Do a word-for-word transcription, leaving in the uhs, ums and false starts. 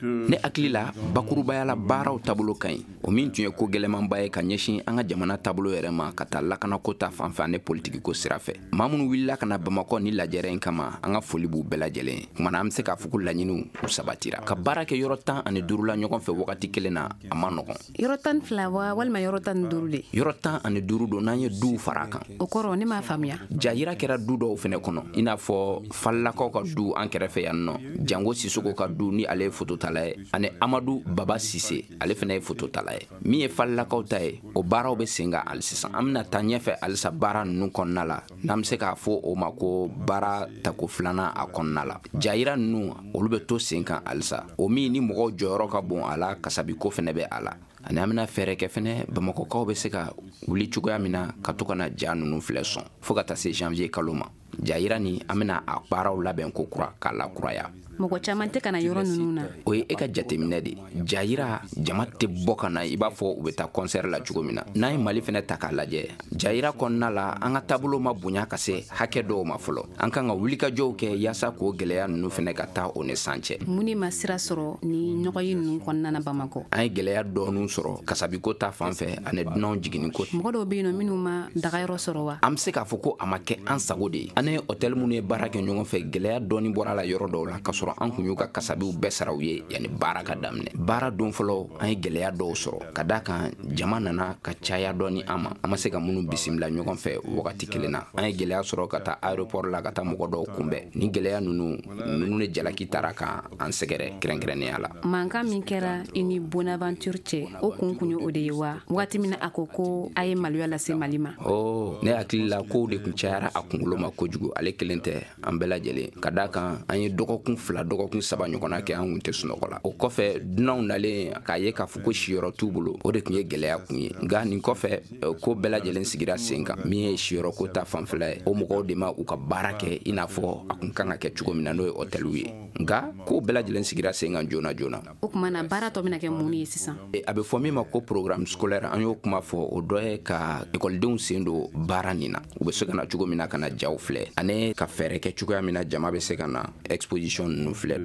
Ne hakili la, bakurubaya la, baaraw taabolo ka ɲi. O min tun ye ko gɛlɛnmanba ye ka ɲɛsin an ka jamana taabolo yɛrɛ ma, ka taa lakanako ta fanfɛ ani politikiko sira fɛ, maa minnu wulila ka na Bamakɔ ni lajɛrɛ in kama, an ka foli b'u bɛɛ lajɛlen ye. Kumana, an bɛ se k'a fɔ ko laɲiniw u sabatira. Ka baara kɛ yɔrɔ tan ani duuru la ɲɔgɔn fɛ wagati kelen na, a ma nɔgɔn. Yɔrɔ tan fila wa, walima yɔrɔ tan ni duuru de? Yɔrɔ tan ani duuru don, n'an ye duw fara a kan. O kɔrɔ, ne m'a faamuya. Jayira kɛra du dɔw fɛnɛ kɔnɔ, i n'a fɔ Falilakaw ka du an kɛrɛfɛ yan nɔ, Jango Sisoko ka du, ni ale ye fototala ye, ani Amadu Baba Sise, ale fɛnɛ ye fototala ye. Min ye Falilakaw ta ye, o baaraw bɛ sen kan hali sisan. An bɛna taa ɲɛfɛ halisa baara ninnu kɔnɔna la, n'an bɛ se k'a fɔ o ma ko baara tako filanan a kɔnɔna la. Jayira ninnu, olu bɛ to sen kan halisa, o min ni mɔgɔw jɔyɔrɔ ka bon a la, kasabiko fɛnɛ bɛ a la. Ani an bɛna fɛɛrɛ kɛ fɛnɛ, Bamakɔkaw bɛ se ka wuli cogoya min na ka to ka na ja ninnu filɛ sɔn, fo ka taa se janvier kalo ma. Jayira ni, an bɛna a baaraw labɛn ko kura k'a lakuraya. Mɔgɔ caman tɛ ka na yɔrɔ ninnu na. O ye e ka jateminɛ de. Jayira, jama tɛ bɔ ka na i b'a fɔ u bɛ taa concert la cogo min na. N'an ye Mali fɛnɛ ta k'a lajɛ, jayira kɔnɔna la, an ka taabolo ma bonya ka se hakɛ dɔw ma fɔlɔ. An kan ka wulikajɔw kɛ yaasa k'o gɛlɛya ninnu fɛnɛ ka taa o ni san cɛ. Mun de ma sira sɔrɔ ni ɲɔgɔn ye ninnu kɔnɔna na Bamakɔ? An ye gɛlɛya dɔɔni sɔrɔ kasabiko ta fan fɛ ani dunanw jiginni ko. Mɔgɔ dɔw bɛ yen nɔ minnu ma dagayɔrɔ sɔrɔ wa? An bɛ se k'a fɔ ko a ma kɛ an sago de ye. An ni hôtel minnu ye baara kɛ ɲɔgɔn fɛ, gɛlɛya dɔɔni bɔra la yɔrɔ dɔw la, ka sɔrɔ an kun y'u ka kasabiw bɛɛ sara u ye yanni baara ka daminɛ. Baara don fɔlɔ, an ye gɛlɛya dɔw sɔrɔ, ka da kan jama nana ka caya dɔɔni an ma, an ma se ka minnu bisimila ɲɔgɔn fɛ wagati kelen na. An ye gɛlɛya sɔrɔ ka taa aéroport la ka taa mɔgɔ dɔw kunbɛn. Ni gɛlɛya ninnu ninnu de jalaki taara ka an sɛgɛrɛ kɛrɛnkɛrɛnnenya la. Mankan min kɛra i ni Bonaventure cɛ, o kun kun ye o de ye wa, waati min a ko ko a ye maloya lase Mali ma? Oh, ne hakili la, kow de kun cayara a kunkolo ma kojugu. Ale kelen tɛ, an bɛɛ lajɛlen. Ka da kan an ye dɔgɔkun fila, dɔgɔkun saba ɲɔgɔnna kɛ, an kun tɛ sunɔgɔ la. O kɔfɛ, dunanw nalen k'a ye k'a fɔ ko siyɔrɔ t'u bolo, o de tun ye gɛlɛya kun ye. Nka nin kɔfɛ, ko bɛɛ lajɛlen sigira sen kan. Min ye siyɔrɔ ko ta fanfɛla ye, o mɔgɔw de ma u ka baara kɛ i n'a fɔ a kun kan ka kɛ cogo min na, n'o ye hôteliw ye. Nka ko bɛɛ lajɛlen sigira sen kan joona joona. O tuma na, baara tɔ bɛna kɛ mun ye sisan? A bɛ fɔ min ma ko programme scolaire, an y'o kuma fɔ. O dɔ ye ka ekɔlidenw sen don baara nin na, u bɛ se ka na cogo min na ka na jaw filɛ, ani ka fɛɛrɛ kɛ cogoya min na jama bɛ se ka na exposition ninnu filɛ.